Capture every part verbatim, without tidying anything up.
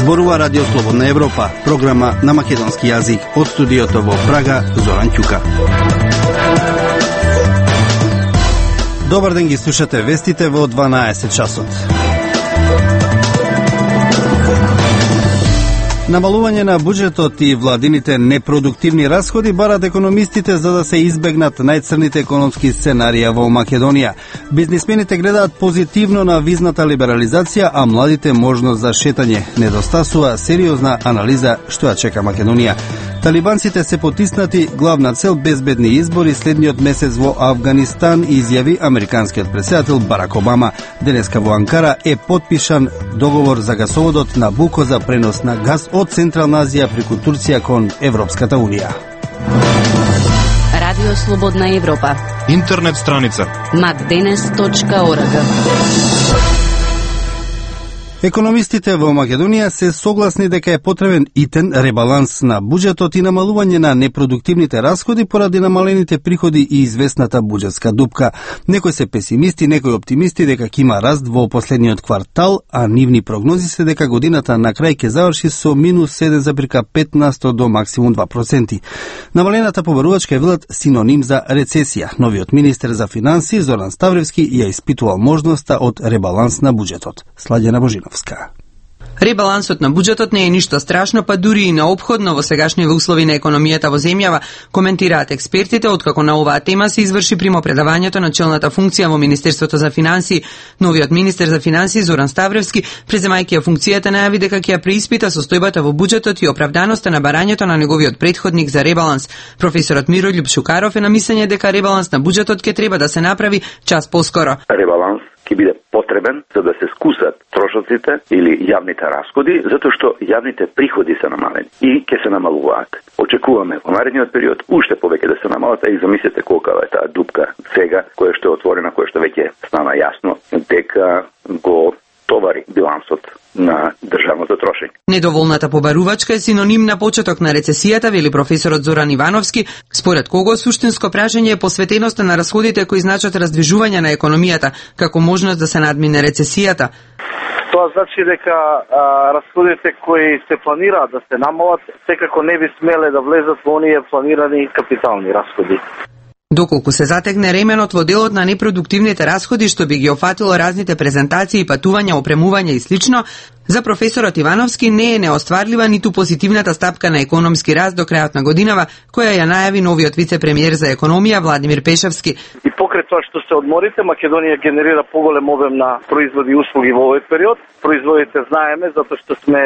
Зборува Радио Слободна Европа, програма на македонски јазик од студиото во Прага, Зоран Ќука. Добар ден, ги слушате вестите во дванаесет часот. Намалување на буџетот и владините непродуктивни расходи барат економистите за да се избегнат најцрните економски сценарија во Македонија. Бизнисмените гледаат позитивно на визната либерализација, а младите можност за шетање. Недостасува сериозна анализа што ја чека Македонија. Талибанците се потиснати, главна цел безбедни избори следниот месец во Авганистан, изјави американскиот претседател Барак Обама. Денеска во Анкара е потпишан договор за гасоводот Набуко за пренос на газ од Централна Азија преку Турција кон Европската Унија. Радио Слободна Европа. Интернет страница макденес точка орг. Економистите во Македонија се согласни дека е потребен итен ребаланс на буџетот и намалување на непродуктивните расходи поради намалените приходи и известната буџетска дупка. Некои се песимисти, некои оптимисти дека ќе има раст во последниот квартал, а нивни прогнози се дека годината на крај ќе заврши со минус седум зарез пет на сто до максимум два проценти. Намалената побарувачка е велат синоним за рецесија. Новиот министер за финансии Зоран Ставревски ја испитувал можноста од ребаланс на буџетот. Сладена Божинов. Ребалансот на буџетот не е ништо страшно, па дури и неопходно во сегашните услови на економијата во земјава, коментираат експертите, откако на оваа тема се изврши примопредавањето на челната функција во Министерството за финансии. Новиот министер за финансии Зоран Ставревски, преземајќи ја функцијата, најави дека ќе ја преиспита состојбата во буџетот и оправданоста на барањето на неговиот претходник за ребаланс. Професорот Мирољуб Шукаров е на мислење дека ребаланс на буџетот ќе треба да се направи час поскоро. Ребаланс ќе биде потребен за да се скусат трошоците или јавните расходи, затоа што јавните приходи се намалени и ќе се намалуваат. Очекуваме во наредниот период уште повеќе да се намалат, и замислете колка е таа дупка сега, која што е отворена, која што веќе стана јасно дека го товари билансот на државното трошење. Недоволната побарувачка е синоним на почеток на рецесијата, вели професорот Зоран Ивановски, според кого суштинско прашање е посветеноста на расходите кои значат раздвижување на економијата, како можност да се надмине рецесијата. Тоа значи дека а, расходите кои се планираат да се намалат, секако не би смеле да влезат во оние планирани капитални расходи. Доколку се затегне ременот во делот на непродуктивните расходи, што би ги офатило разните презентации, патувања, опремување и слично, за професорот Ивановски не е неостварлива ниту позитивната стапка на економски раст до крајот на годинава, која ја најави новиот вице-премиер за економија Владимир Пешевски. И покрај тоа што се одморите, Македонија генерира поголем обем на производи и услуги во овој период. Производите знаеме затоа што сме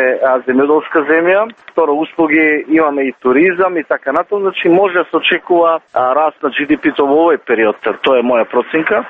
земјоделска земја, второ услуги имаме и туризам и така натаму, значи може да се очекува а, раст на Джи Ди Пи-то во овој период, тоа е моја проценка.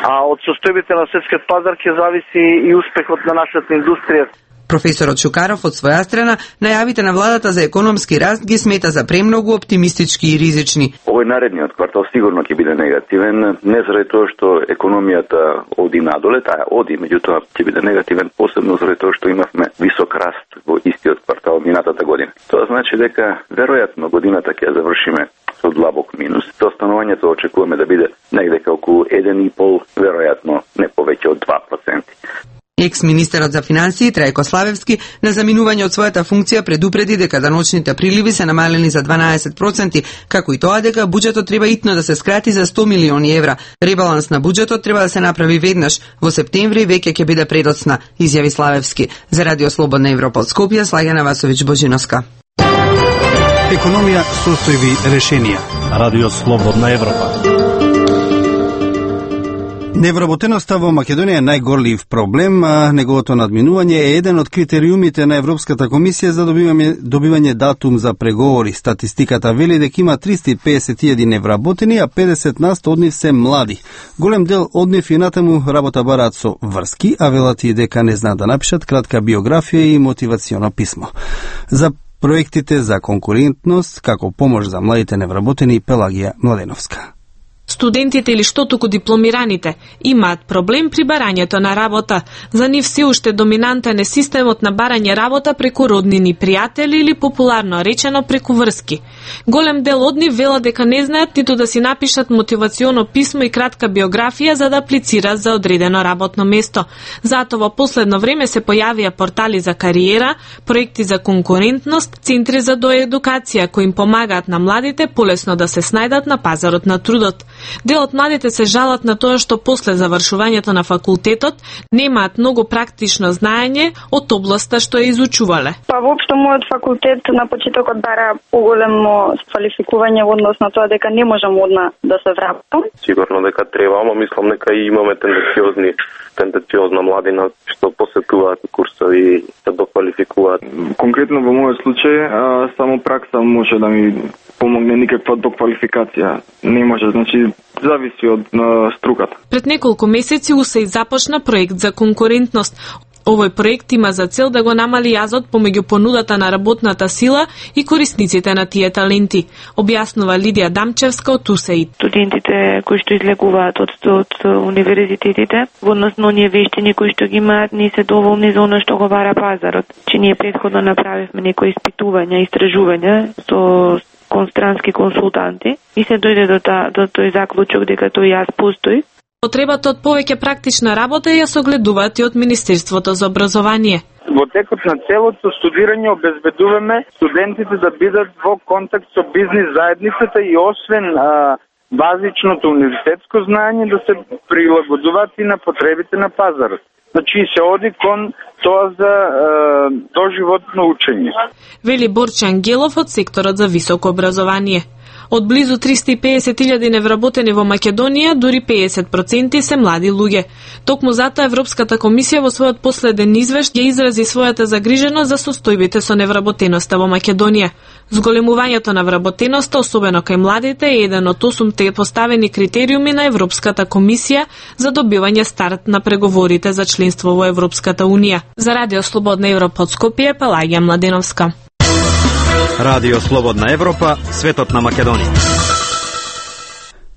А од состојбите на светскиот пазар ќе зависи и успехот на нашата индустрија. Професорот Шукаров од своја страна најавите на владата за економски раст ги смета за премногу оптимистички и ризични. Овој наредниот квартал сигурно ќе биде негативен, не заради тоа што економијата оди надоле, таа оди, меѓутоа ќе биде негативен посебно заради тоа што имавме висок раст во истиот квартал минатата година. Тоа значи дека веројатно годината ќе ја завршиме со длабок минус. Со станувањето очекуваме да биде негде околу еден и пол, веројатно не повеќе од два проценти. Екс-министерот за финансии Трајко Славевски на заминување од својата функција предупреди дека даночните приливи се намалени за дванаесет проценти, како и тоа дека буџетот треба итно да се скрати за сто милиони евра. Ребаланс на буџетот треба да се направи веднаш. Во септември веќе ќе биде предоцна, изјави Славевски. За Радио Слободна Европа од Скопје, Слагена Васовиќ Божиновска. Економија, состојби, решенија. Радио Слободна Европа. Невработеноста во Македонија е најгорлив проблем, а неговото надминување е еден од критериумите на Европската комисија за добивање, добивање датум за преговори. Статистиката вели дека има триста и педесет илјади невработени, а педесет на сто од нив се млади. Голем дел од нив и натаму работа бараат со врски, а велат и дека не знаат да напишат кратка биографија и мотивационо писмо. За проектите за конкурентност, како помош за младите невработени, Пелагија Младеновска. Студентите или што туку дипломираните имаат проблем при барањето на работа. За нив се уште доминантен е системот на барање работа преку роднини, пријатели или популарно речено преку врски. Голем дел од нив велат дека не знаат ниту да си напишат мотивационо писмо и кратка биографија за да аплицираат за одредено работно место. Затоа во последно време се појавија портали за кариера, проекти за конкурентност, центри за доедукација кои им помагаат на младите полесно да се снајдат на пазарот на трудот. Дел од младите се жалат на тоа што после завршувањето на факултетот немаат многу практично знаење од областа што ја изучувале. Па воопшто мојот факултет на почетокот бара поголемо квалификување во однос на тоа дека не можам одна да се враќам. Сигурно дека треба, ама мислам дека и имаме тенденциозни тенденциозна младина што посетуваат курсови и се доквалификуваат. Конкретно во мојот случај само пракса може да ми помогне, никаква доквалификација не може, значи зависи од струката. Пред неколку месеци УСЕИ започна проект за конкурентност. Овој проект има за цел да го намали јазот помеѓу понудата на работната сила и корисниците на тие таленти, објаснува Лидија Дамчевска од УСЕИ. Студентите кои што излегуваат од, од универзитетите, во однос на оние вештини кои што ги имаат, не се доволни за оно што го бара пазарот. Че ние претходно направивме некои испитувања, истражувања со констрански консултанти и се дојде до, та, до тој заклучок дека тој јаз постои. Потребата од повеќе практична работа ја согледуваат и од Министерството за образование. Во текот на целото студирање обезбедуваме студентите да бидат во контакт со бизнис заедницата и освен а, базичното универзитетско знаење да се прилагодуваат и на потребите на пазарот. Значи се оди кон тоа за е, доживотно учење. Вели Борче Ангелов од секторот за високо образование. Од близу триста и педесет илјади невработени во Македонија, дури педесет проценти се млади луѓе. Токму затоа Европската комисија во својот последен извешт ја изрази својата загриженост за состојбите со невработеноста во Македонија. Зголемувањето на вработеноста, особено кај младите, е еден од осумте поставени критериуми на Европската комисија за добивање старт на преговорите за членство во Европската унија. За Радио Слободна Европа од Скопје, Пелагија Младеновска. Радио Слободна Европа, светот на Македонија.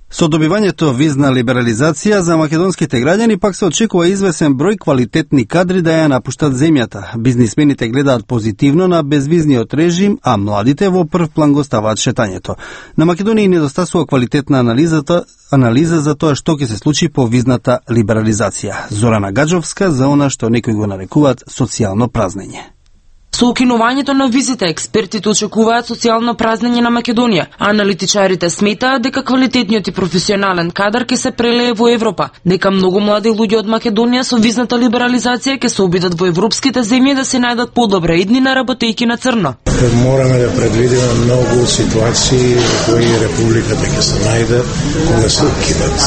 Со добивањето визна либерализација за македонските граѓани пак се очекува извесен број квалитетни кадри да ја напуштат земјата. Бизнисмените гледаат позитивно на безвизниот режим, а младите во прв план го ставаат шетањето. На Македонија недостасува квалитетна анализата, анализа за тоа што ќе се случи по визната либерализација. Зорана Гаджовска за она што некои го нарекуваат социјално празнење. Со укинувањето на визите, експертите очекуваат социјално празнење на Македонија, а аналитичарите сметаат дека квалитетниот и професионален кадар ќе се прелее во Европа, дека многу млади луѓе од Македонија со визната либерализација ќе се обидат во европските земји да се најдат подобра иднина работејќи на црно. Мораме да предвидиме многу ситуации во кои републиката ќе се најде кога се укинат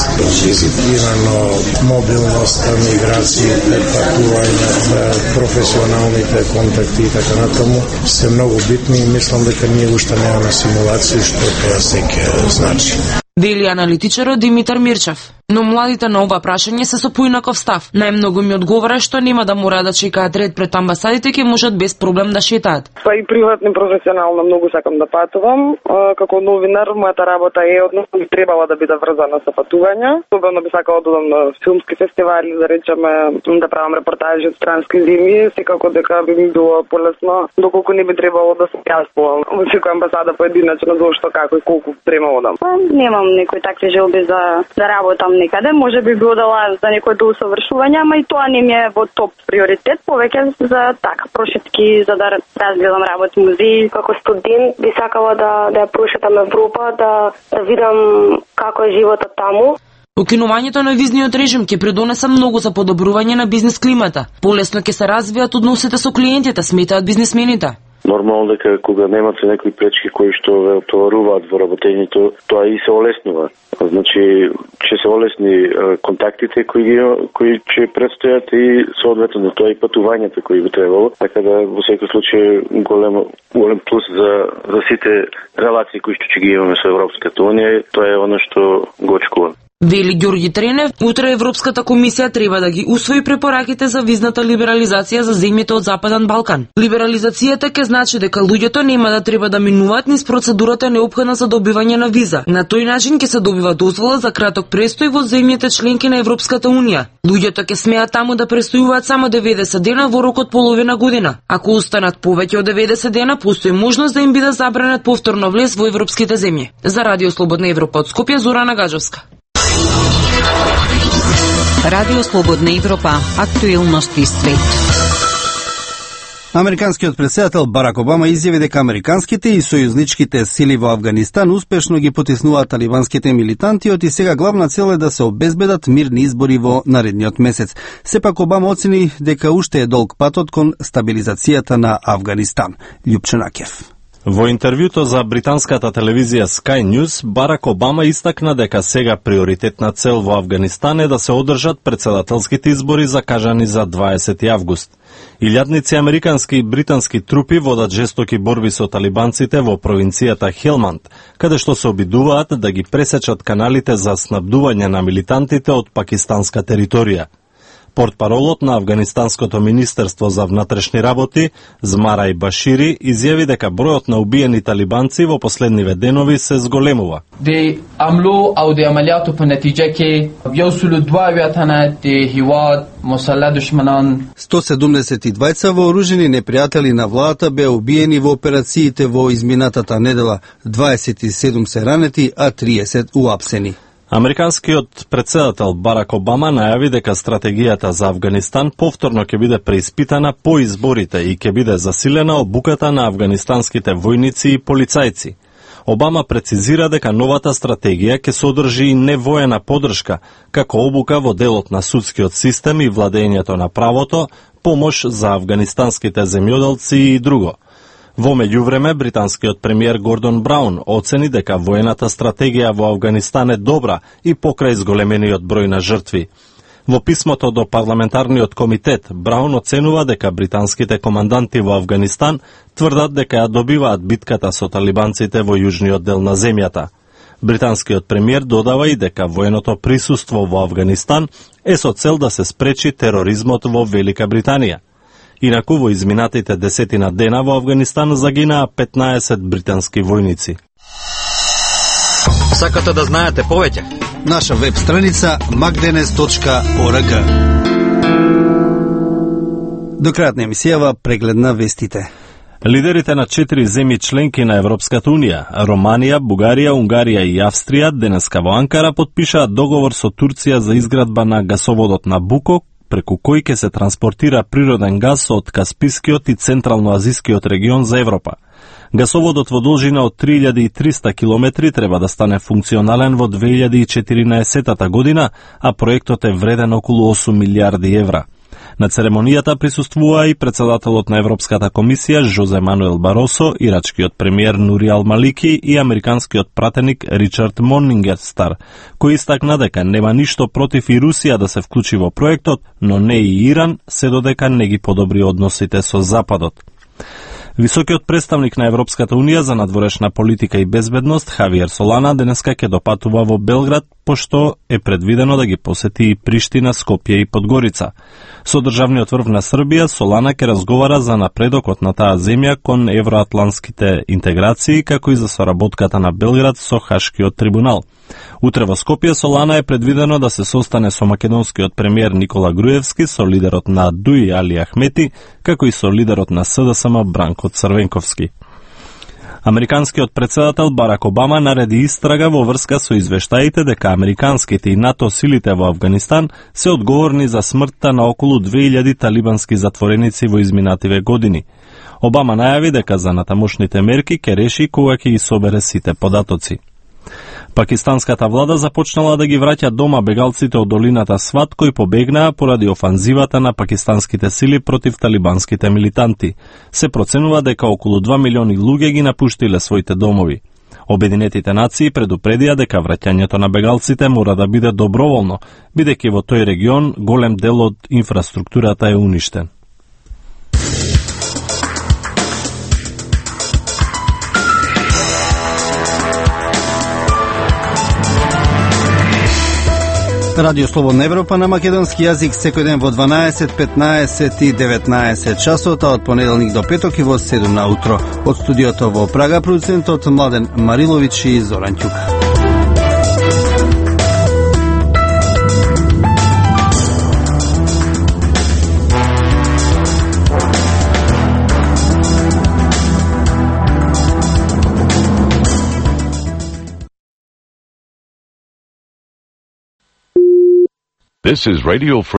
визите. Именно мобилноста, миграциите, патувањата, професионалните контакти така натаму се многу битни и мислам дека ние уште немаме симулации што тоа се ќе значи. Вели аналитичарот Димитар Мирчев. Но младите на ова прашање се со поинаков став. Најмногу ми одговара што нема да мора да чекаат ред пред амбасадите, ќе можат без проблем да шетаат. Па и приватно и професионално многу сакам да патувам. Како новинар, мојата работа е односно би требала да биде врзана со патувања. Особено би сакала да одам на филмски фестивали, да речеме, да правам репортажи од странски земји, секако дека би ми било полесно, доколку не би требало да се јаспувам во секоја амбасада поединачно зошто како и колку време одам. Немам некои такви желби за да работам некаде, може би би одела за некој до усовршување, ама и тоа не ми е во топ приоритет, повеќе за така прошетки, за да разгледам работи музеи. Како студент би сакала да да ја прошетам Европа, да, да видам како е животот таму. Укинувањето на визниот режим ќе придонесе многу за подобрување на бизнис климата. Полесно ќе се развијат односите со клиентите, сметаат бизнисмените. Нормално дека кога немате некои пречки кои што ве отоваруваат во работењето, тоа и се олеснува. Значи, ќе се олесни контактите кои кои ќе предстојат и соодветно тоа и патувањата кои би требало, така да во секој случај голем голем плюс за за сите релации кои што ќе ги имаме со Европската унија, тоа е оно што го очекувам. Вели Ѓорѓи Тренев, утре Европската комисија треба да ги усвои препораките за визната либерализација за земјите од Западен Балкан. Либерализацијата ќе значи дека луѓето нема да треба да минуваат низ процедурата неопходна за добивање на виза. На тој начин ќе се добива дозвола за краток престој во земјите членки на Европската унија. Луѓето ќе смеат таму да престојуваат само деветдесет дена во рок од половина година. Ако останат повеќе од деветдесет дена, постои можност да им биде забранет повторно влез во европските земји. За Радио Слободна Европа од Скопје, Зорана Гаджовска. Радио Слободна Европа, актуелности свет. Американскиот претседател Барак Обама изјави дека американските и сојузничките сили во Авганистан успешно ги потиснуваат талибанските милитанти и сега главна цел е да се обезбедат мирни избори во наредниот месец. Сепак Обама оцени дека уште е долг патот кон стабилизацијата на Авганистан. Љупчо Накев. Во интервјуто за британската телевизија Sky News, Барак Обама истакна дека сега приоритетна цел во Авганистан е да се одржат претседателските избори закажани за дваесети август. Илјадници американски и британски трупи водат жестоки борби со талибанците во провинцијата Хелманд, каде што се обидуваат да ги пресечат каналите за снабдување на милитантите од пакистанска територија. Портпаролот на Авганистанското министерство за внатрешни работи, Змарај Башири, изјави дека бројот на убиени талибанци во последниве денови се зголемува. د عملو او د عملیاتو په نتیجه کې یو سلو دوه اویا تنه د هیواد مسلح دشمنان сто седумдесет и двајца вооружени непријатели на владата беа убиени во операциите во изминатата недела, дваесет и седум се ранети, а триесет уапсени. Американскиот претседател Барак Обама најави дека стратегијата за Авганистан повторно ќе биде преиспитана по изборите и ќе биде засилена обуката на авганистанските војници и полицајци. Обама прецизира дека новата стратегија ќе содржи и невоена поддршка, како обука во делот на судскиот систем и владењето на правото, помош за авганистанските земјоделци и друго. Во меѓувреме, британскиот премиер Гордон Браун оцени дека воената стратегија во Авганистан е добра и покрај зголемениот број на жртви. Во писмото до парламентарниот комитет, Браун оценува дека британските команданти во Авганистан тврдат дека ја добиваат битката со талибанците во јужниот дел на земјата. Британскиот премиер додава и дека военото присуство во Авганистан е со цел да се спречи тероризмот во Велика Британија. Инаку во изминатите десетина дена во Авганистан загинаа петнаесет британски војници. Сакате да знаете повеќе? Наша веб страница макденес точка орг. До крајот на емисијава преглед на вестите. Лидерите на четири земји членки на Европската унија, Романија, Бугарија, Унгарија и Австрија, денеска во Анкара потпишаат договор со Турција за изградба на гасоводот Набуко, преку кој ќе се транспортира природен газ од Каспискиот и Централно-Азискиот регион за Европа. Гасоводот во должина од три илјади и триста километри треба да стане функционален во две илјади и четиринаесета година, а проектот е вреден околу осум милијарди евра. На церемонијата присуствуваа и председателот на Европската комисија Жозе Мануел Баросо, ирачкиот премиер Нури Ал Малики и американскиот пратеник Ричард Монингерстар, кој истакна дека нема ништо против и Русија да се вклучи во проектот, но не и Иран, се додека не ги подобри односите со Западот. Високиот представник на Европската унија за надворешна политика и безбедност Хавиер Солана денеска ќе допатува во Белград, пошто е предвидено да ги посети и Приштина, Скопје и Подгорица. Со државниот врв на Србија, Солана ќе разговара за напредокот на таа земја кон евроатлантските интеграции, како и за соработката на Белград со Хашкиот трибунал. Утре во Скопје Солана е предвидено да се состане со македонскиот премиер Никола Груевски, со лидерот на ДУИ Али Ахмети, како и со лидерот на СДСМ Бранко Црвенковски. Американскиот претседател Барак Обама нареди истрага во врска со извештаите дека американските и НАТО силите во Авганистан се одговорни за смртта на околу две илјади талибански затвореници во изминативе години. Обама најави дека за натамошните мерки ќе реши кога ќе ги собере сите податоци. Пакистанската влада започнала да ги враќа дома бегалците од долината Сват кои побегнаа поради офанзивата на пакистанските сили против талибанските милитанти. Се проценува дека околу два милиони луѓе ги напуштиле своите домови. Обединетите нации предупредија дека враќањето на бегалците мора да биде доброволно, бидејќи во тој регион голем дел од инфраструктурата е уништен. Радио Слободна Европа на македонски јазик секој ден во дванаесет, петнаесет и деветнаесет часот, а од понеделник до петок и во седум на утро. Од студиото во Прага, продуцентот Младен Марилович и Зоран Ќука. This is Radio Free